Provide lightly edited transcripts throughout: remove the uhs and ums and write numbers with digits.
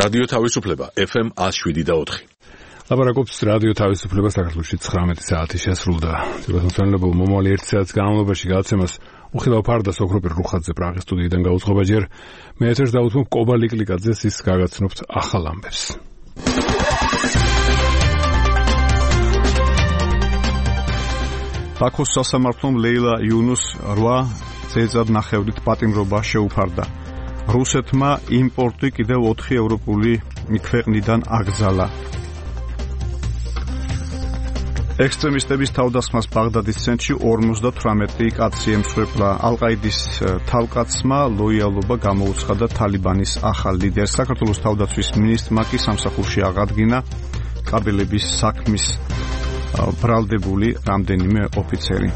რადიო თავისუფლება FM 107.4. ლაპარაკობს რადიო თავისუფლება საქართველოში 19 საათი შესრულდა. ძირითადად მომავალი 1 საათის განმავლობაში გადაცემას უხილავ ფარდას ოქროპირ რუხაძე პრაღის სტუდიიდან გაუძღობა ჯერ. მე ეთერს დავუთმობ კობა ლიკლიკაძეს, ის გაგაცნობთ ახალ ამბებს. ბაქოს სასამართლომ ლეილა იუნუს 8 წელიწად ნახევრით პატიმრობა შეუფარდა. რუსეთმა იმპორტი კიდევ 4 ევროპული ქვეყნიდან აკრძალა. ექსტრემისტების თავდასხმას ბაღდადის ცენტრში 58 კაცი ემსხვერპლა. ალ-ყაიდის თავკაცმა ლოიალობა გამოუცხადა თალიბანის ახალ ლიდერს. საქართველოს თავდაცვის მინისტრმა კი სამსახურში აღადგინა კაბელების საქმის ბრალდებული რამდენიმე ოფიცერი.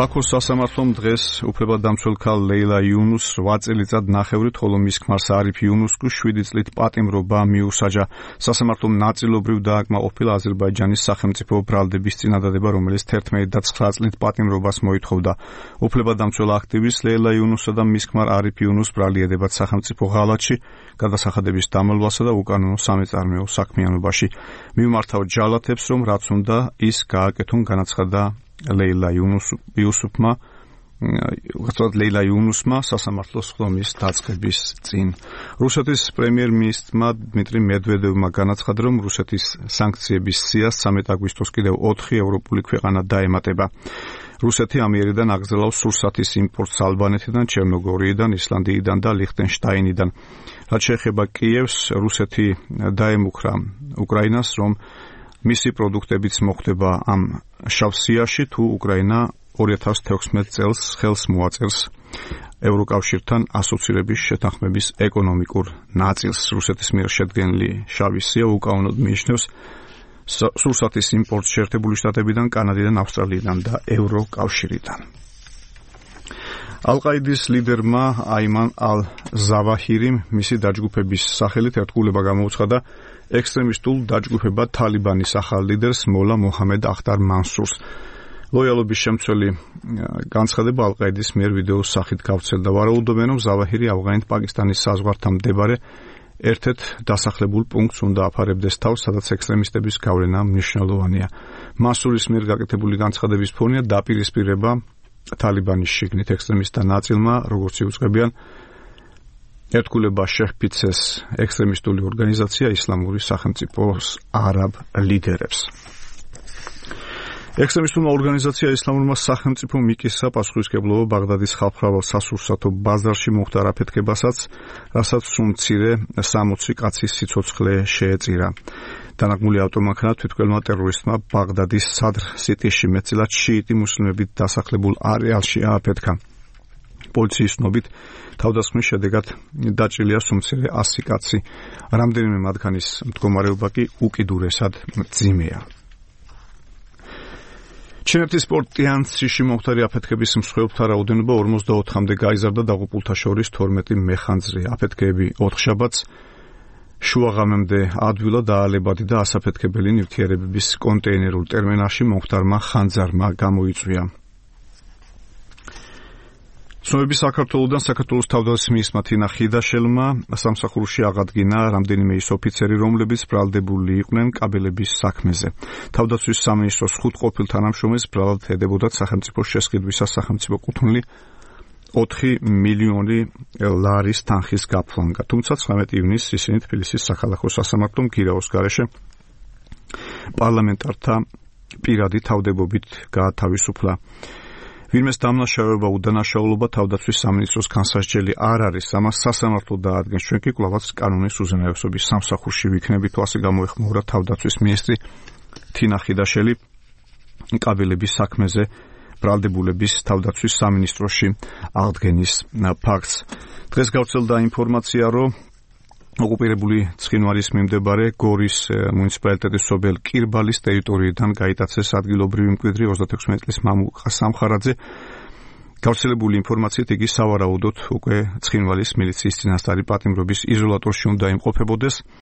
ბაქოს სასამართლომ დღეს უფლებადამცველ ქალ ლეილა იუნუს 8 წელიწად ნახევრით, ხოლო მის ქმარს არიფ იუნუსკუ 7 წლით პატიმრობა მიუსაჯა. სასამართლომ ნაწილობრივ დააკმაყოფილა აზერბაიჯანის სახელმწიფო ბრალდების წინადადება, რომელიც 11 და 9 წლით პატიმრობას მოითხოვდა. უფლებადამცველ აქტივისტ ლეილა იუნუსსა და მის ქმარ არიფ იუნუს ბრალი ედებათ სახელმწიფო ღალატში, გადასახადების დამალვასა და უკანონო სამეწარმეო საქმიანობაში. მიმართავ ჯალათებს, რომ რაც უნდა ის გააკეთონ, განაცხადა ლეილა იუნუსმა სასამართლოს ხდომის დაწყების წინ. რუსეთის პრემიერ-მინისტრმა დმიტრი მედვედევმა განაცხადა, რომ რუსეთის სანქციების სიას 13 აგვისტოს კიდევ 4 ევროპული ქვეყანა დაემატება. რუსეთი ამიერიდან აკრძალავს სურსათის იმპორტს ალბანეთიდან, ჩერნოგორიიდან, ისლანდიიდან და ლიხტენშტაინიდან. რაც შეეხება კიევს, რუსეთი დაემუქრა უკრაინას, რომ მისი პროდუქტებიც მოხვდება ამ შავ სიაში, თუ უკრაინა 2016 წელს ხელს მოაწერს ევროკავშირთან ასოცირების შეთანხმების ეკონომიკურ ნაწილს. რუსეთის მიერ შედგენილი შავი სია უკანონოდ მიიჩნევს სურსათის იმპორტს შეერთებული შტატებიდან, კანადიდან, ავსტრალიიდან და ევროკავშირიდან. ალ-ყაიდის ლიდერმა აიმან ალ-ზავაჰირიმ მისი დაჯგუფების სახელით ერთგულება გამოუცხადა ექსტრემისტულ დაჯგუფებად თალიბანის ახალ ლიდერს მოლა მოჰამედ ახტარ მანსურს. ლოიალობის შემცველი განცხადება ალ-ყაიდის მიერ ვიდეოს სახით გავრცელდა. ვარაუდობენ, რომ ზავაჰირი ავღანეთ-პაკისტანის საზღვართან მდებარე ერთ-ერთ დასახლებულ პუნქტს უნდა აფარებდეს თავს, სადაც ექსტრემისტების გავლენა მნიშვნელოვანია. მანსურის მიერ გაკეთებული განცხადების ფონია დაპირისპირება თალიბანის შიგნით ექსტრემისტთა ნაწილმა, როგორც იუწყებიან ერთგულება შეჰფიცეს ექსტრემისტული ორგანიზაცია ისლამური სახელმწიფოს არაბ ლიდერებს. ექსტრემისტულმა ორგანიზაცია ისლამურმა სახელმწიფომ მიკისა პასუხისმგებლობა ბაღდადის ხალხმრავალ სასურსათო ბაზარში მოხდა არაფეთქებასაც, რასაც სუმცირე 60 კაცის სიცოცხლე შეეწირა. დანაგმული ავტომანქანა თვითმკვლელმა ტერორისტმა ბაღდადის სადრ სიტიში მეტწილად შიიტი მუსლიმებით დასახლებულ არეალში ააფეთქა. პოლიციის ცნობით თავდასხმის შედეგად დაჭრილია სუმცირე 100 კაცი. რამდენიმე მათგანის მდგომარეობა კი უკიდურესად მძიმეა. ჩინეთის პორტ ტიანცзиში მომხდარი აფეთქების მსხვერპლთა რაოდენობა 44-მდე გაიზარდა, დაღუპულთა შორის 12 მეხანძრი. აფეთქეები 4 შაბათს შუაღამემდე ადვილად აალებადი და ასაფეთქებელი ნივთიერებების კონტეინერულ ტერმინალში მომხდარმა ხანძარმა გამოიწვია. ცნობები საქართველოსთან საქართველოს თავდაცვის მინისტრმა თინა ხიდაშელმა სამსახურში აღადგინა რამდენიმე ის ოფიცერი, რომლებიც ბრალდებული იყვნენ კაბელების საქმეზე. თავდაცვის სამინისტროს 5 ყოფილ თანამშრომელს ბრალად ედებოდათ სახელმწიფოს შესყიდვისას სახელმწიფო კუთვნილი 4 მილიონი ლარის თანხის გაფლანგა. თუმცა 19 ივნისს ისინი თბილისის საქალაქო სასამართლომ გირაოს გარეშე პარლამენტართა პირადი თავდებობით გაათავისუფლა. ვინმეს დამნაშავეობა უდანაშაულობა თავდაცვის სამინისტროს განსასჯელი არ არის, ამას სასამართლო დაადგენს. ჩვენ კი კვლავაც კანონის უზენაესობის სამსახურში ვიქნებით. ასე გამოეხმაურა თავდაცვის მინისტრი თინა ხიდაშელი კაბელების საქმეზე ბრალდებულების თავდაცვის სამინისტროში აღდგენის ფაქტს. დღეს გავრცელდა ინფორმაცია, რომ ოკუპირებული ცხინვალის მიმდებარე გორის მუნიციპალიტეტის სოფელ კირბალის ტერიტორიიდან გაიტაცეს ადგილობრივი მკვიდრი 36 წლის მამუკა სამხარაძე. გავრცელებული ინფორმაციით იგი სავარაუდოდ უკვე ცხინვალის მილიციის წინასწარი პატიმრობის იზოლატორში უნდა იმყოფებოდეს.